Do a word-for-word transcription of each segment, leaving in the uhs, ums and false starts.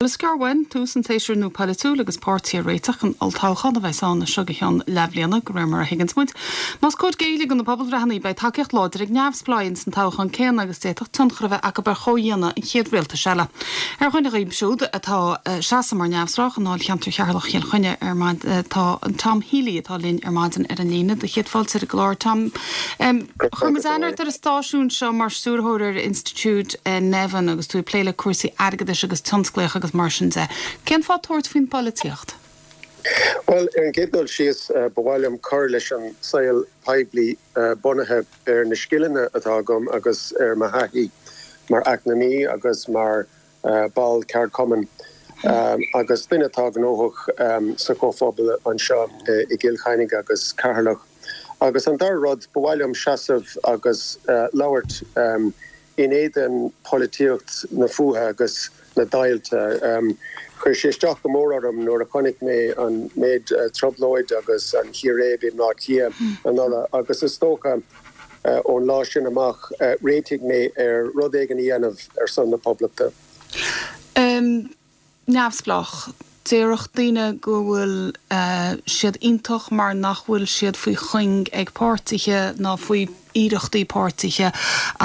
Is gearr uainn tús an tséasúir nua polaitiúil agus páirtithe ag réiteach don olltoghchán a bheas ann seo go ceann leathbhliana de réir mar a thuigeanns muid. Más cóir géilleadh do na pobalbhreitheanna beidh tacaíocht láidir ag neamhspleáigh san toghchán céanna agus d'fhéadfadh tionchar a bheith acu ar chomhdhéanamh an chéad rialtais eile. Ar dhuine díobh siúd atá seasamh mar neamhspleách i ndáilcheantar Cheatharlach Chill Chainnigh ar tá an Tom Healy atá linn ar maidin ar an líne do chéad fáilte ar an gclár Tom. Um, Chuir muid aithne ort ar an stáisiún seo mar stiúrthóir ar Institiúid uh, Nevin agus tú ag plé le cúrsaí airgeadais agus tionsclaíoch agus mar sin de. Cén fáth tabhairt faoin bpolaitíocht? Well ar an gcéad dul síos uh, ba mhaith liom cur leis an saol poiblí uh, bunaithe ar na scileanna atá agam agus ar mo thaithí mar eacnamaí agus mar uh, ball ceardchumainn. Um, agus duine atá gnóthach um, sa chomhphobal anseo uh, i gCill Chainnigh agus Ceatharlach. Agus an dara rud ba mhaith liom seasamh agus uh, labhairt um, in éadan polaitíocht na fuatha agus na deighilte. Um, Chuir sé isteach go mór orm nuair a chonaic mé an méid uh, trioblóid agus an chíréib i mBaile Átha Cliath anuraidh agus is dócha uh, ón lá sin amach uh, réitigh mé ar rud éigin a dhéanamh ar son na poblachta. Um, neamhspleách. Déarfadh daoine go bhfuil uh, siad iontach mar nach bhfuil siad faoi chuing ag páirtithe ná faoi iarrachtaí páirtithe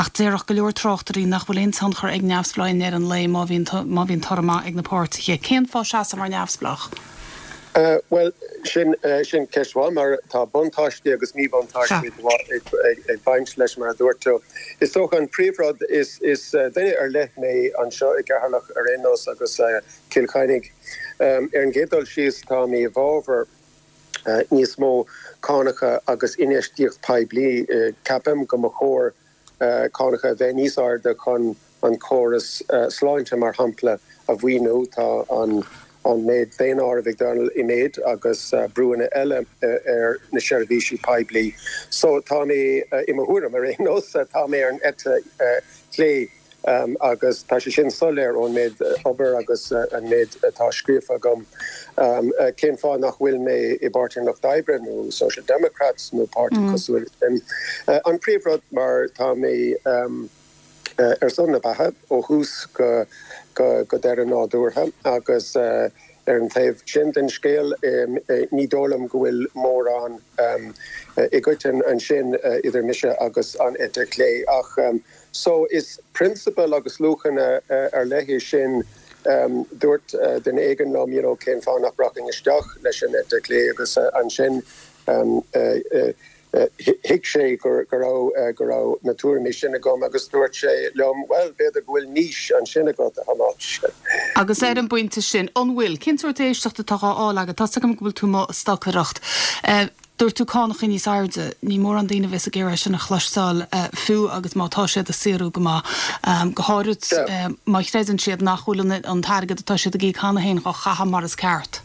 ach déarfadh go leor tráchtairí nach bhfuil aon tionchar ag neamhspleáigh ar an lae má má bhíonn toradh ag na páirtithe. Cén fáth seasamh mar neamhspleách? Uh, well sin uh, sin ceist mhaith mar tá buntáistí agus míbhuntáistí ag baint leis mar a dúirt tú. Is dócha an príomhrud is is uh, duine ar leith mé anseo i gCeatharlach ar aon nós agus uh, Cill Chainnigh. Um, ar an gcéad dul síos tá mé i bhfabhar uh, níos mó cánacha agus infheistíocht poiblí uh, ceapaim go mba chóir uh, cánacha bheith níos airde chun an córas uh, sláinte mar shampla a mhaoiniú tá an an méid daonáireamh ag dul i méid agus uh, brúnna eile uh, ar na seirbhísí poiblí. So tá mé uh, i mo thuairim ar aon nós tá mé ar an eite uh, clé um, agus tá sé sin soiléir ón méid obair agus uh, an méid atá scríofa agam. Um, uh, cén fáth nach bhfuil mé i bPáirtí an Lucht Oibre nó Social Democrats nó páirtí mm. cosúil um, uh, an príomhrud mar tá mé um, uh, ar son na beatha ó thús go go go deireadh nádúrtha agus uh, ar an taobh sin den scéal um, uh, ní dóigh liom go bhfuil mórán um, uh, i gcoiteann ansin uh, idir mise agus an eite clé ach um, so is prionsabal agus luachanna uh, ar leith sin um, dúirt uh, duine éigin liom you know, cén fáth nach rachainn isteach leis an eite clé agus uh, ansin um, uh, uh, thuig sé go raibh go raibh na tuairimí sin agam agus dúirt sé liom well b'fhéidir go bhfuil niche ansin agat a Thomáis. Agus ar an bpointe sin an bhfuil cén sórt éisteachta atá á fháil agat tá go bhfuil tú ag stocaireacht. Dúirt tú cánacha níos airde, ní mór an daoine bheith ag iarraidh sin a chloisteáil fiú agus má tá siad a saothrú go maith go háirid má chreideann siad nach bhfuil an t-airgead atá siad ag íoc cheana féin á chaitheamh mar is ceart.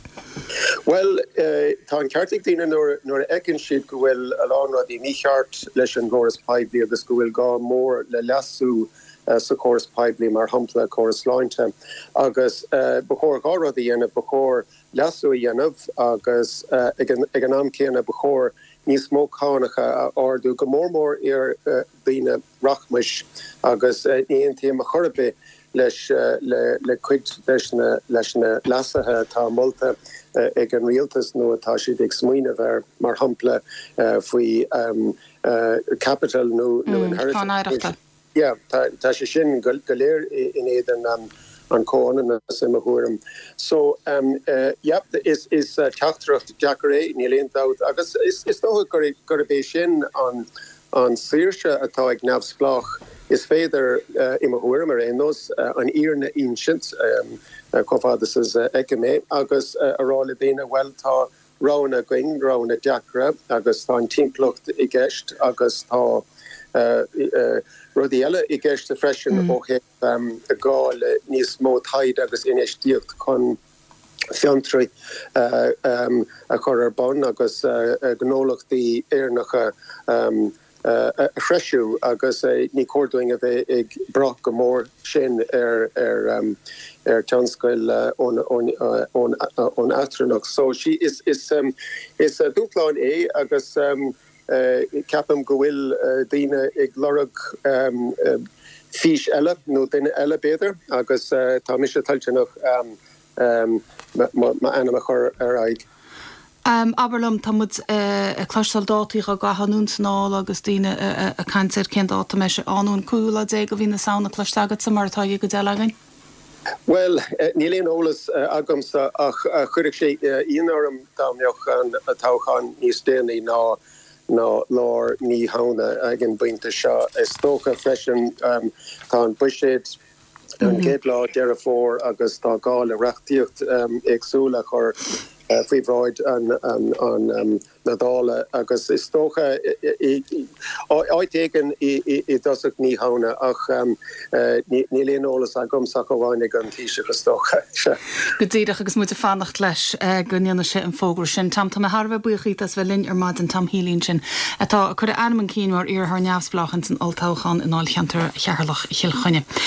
Well uh, tá an ceart ag daoine nuair a fheiceann siad go bhfuil a lán rudaí mícheart leis an gcóras poiblí agus go bhfuil gá mór le leasú uh, sa chóras poiblí mar shampla córas sláinte agus uh, ba chóir dhá rud a dhéanamh ba chóir leasú a dhéanamh agus uh, ag an am céanna ba chóir níos mó cánacha a ardú go mór mór ar uh, daoine rachmais agus uh, ní aontaím ar chor ar bith leis uh, le, le cuid leis na, leis na leasuithe atá molta uh, ag an rialtas nó atá siad ag smaoineamh ar mar shampla uh, faoi um, uh, capital nó nó mm, inheritance. Yeah, tá, tá sé sin go, go léir in éadan um, an comhionannas i mo thuairim. So um, uh, yep, is is uh, teachtaireacht deacair é níl aon dabht agus is, is dócha gurb é sin an an saoirse atá ag neamhspleách is féidir uh, i mo thuairim ar aon nós uh, an fhírinne a insint um, uh, chomh fada is uh, é agus uh, a rá le daoine well tá roghanna againn roghanna deacra agus tá an timpeallacht i gceist agus tá uh, uh, rudaí eile i gceist freisin mm. ó thaobh um, gá le níos mó taighde agus infheistíocht chun fiontraí uh, um, a chur ar bun agus uh, gnólachtaí Éireannacha um, uh, a threisiú agus uh, ní cóir dúinn a bheith ag brath go mór sin ar ar um, ar tionscail uh, ón ón ón ón eachtrannach. So sí is is um, is uh, dúshlán é agus um, uh, ceapaim go bhfuil uh, daoine ag lorg um, uh, fís eile nó duine eile b'fhéidir agus tá mise toilteanach m'ainm a chur ar aghaidh. Abair liom, tá muid ag cloisteáil dátaí á gcaitheamh anonn is anall agus daoine ag caint ar cén dáta a mbeidh sé ann, an cúigiú lá déag de mhí na Samhna cloiste agatsa mar atá ag cuid eile againn? Bhuel, níl aon eolas agamsa ach chuirfeadh sé ionadh orm dá mbeadh an toghchán níos déanaí ná ná lár mí Shamhna ag an bpointe seo. Is dócha freisin tá an buiséad an chéad lá Deireadh Fómhair agus tá gá le reachtaíocht éagsúil a chur faoi bhráid an na Dála agus is dócha áit éigin i dtosach mí Shamhna ach níl aon eolas agamsa ach amháin ag an Taoiseach is dócha. Go díreach agus muid ag fanacht leis go ndéanfaidh sé an fógra sin. Tom, tá mé thar a bheith buíoch díot as bheith linn ar maidin Tom Healy ansin atá ag cur a ainm chun cinn mar iarrthóir neamhspleách ins an olltoghchán i ndáilcheantar Cheatharlach Chill Chainnigh.